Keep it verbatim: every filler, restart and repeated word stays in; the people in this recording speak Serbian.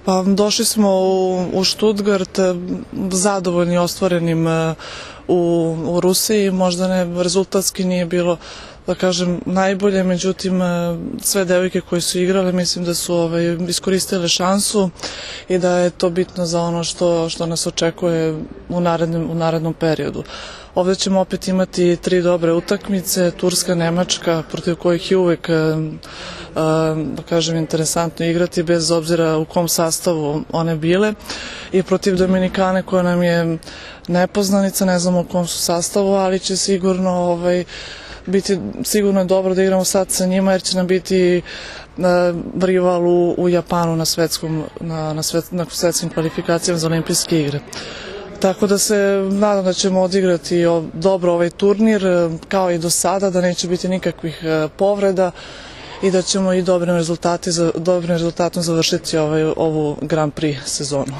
Pa došli smo u, u Stuttgart zadovoljni ostvarenim u, u Rusiji, možda ne, rezultatski nije bilo, da kažem, najbolje, međutim sve devojke koje su igrale mislim da su ovaj, iskoristile šansu i da je to bitno za ono što, što nas očekuje u narednom, u narednom periodu. Ovdje ćemo opet imati tri dobre utakmice, Turska, Nemačka, protiv kojih je uvek, da kažem, interesantno igrati bez obzira u kom sastavu one bile, i protiv Dominikane koja nam je nepoznanica, ne znamo u kom su sastavu, ali će sigurno ovaj, biti sigurno je dobro da igramo sad sa njima, jer će nam biti rival u, u Japanu na svetskom, na, na, svet, na svetskim kvalifikacijama za olimpijske igre. Tako da se nadam da ćemo odigrati dobro ovaj turnir, kao i do sada, da neće biti nikakvih povreda i da ćemo i dobrim rezultatom završiti ovaj, ovu Grand Prix sezonu.